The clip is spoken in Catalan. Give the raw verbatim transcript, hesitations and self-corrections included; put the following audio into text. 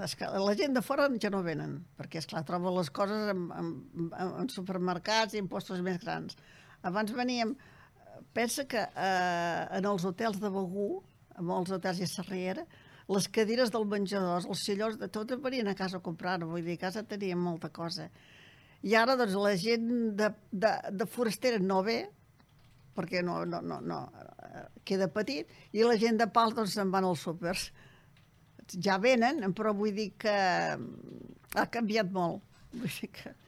és que la gent de fora ja no venen, perquè, esclar, troba les coses en, en, en supermercats i en postos més grans. Abans veníem... Pensa que eh, en els hotels de Begur, en molts hotels i a Sarriera, les cadires del menjador, els sillons, de tot venien a casa a comprar-ho, vull dir, a casa teníem molta cosa. I ara, doncs, la gent de, de, de forastera no ve, perquè no, no, no, no, queda petit, i la gent de Pals, doncs, se'n van als súpers. Ja venen, però vull dir que ha canviat molt. Vull dir que...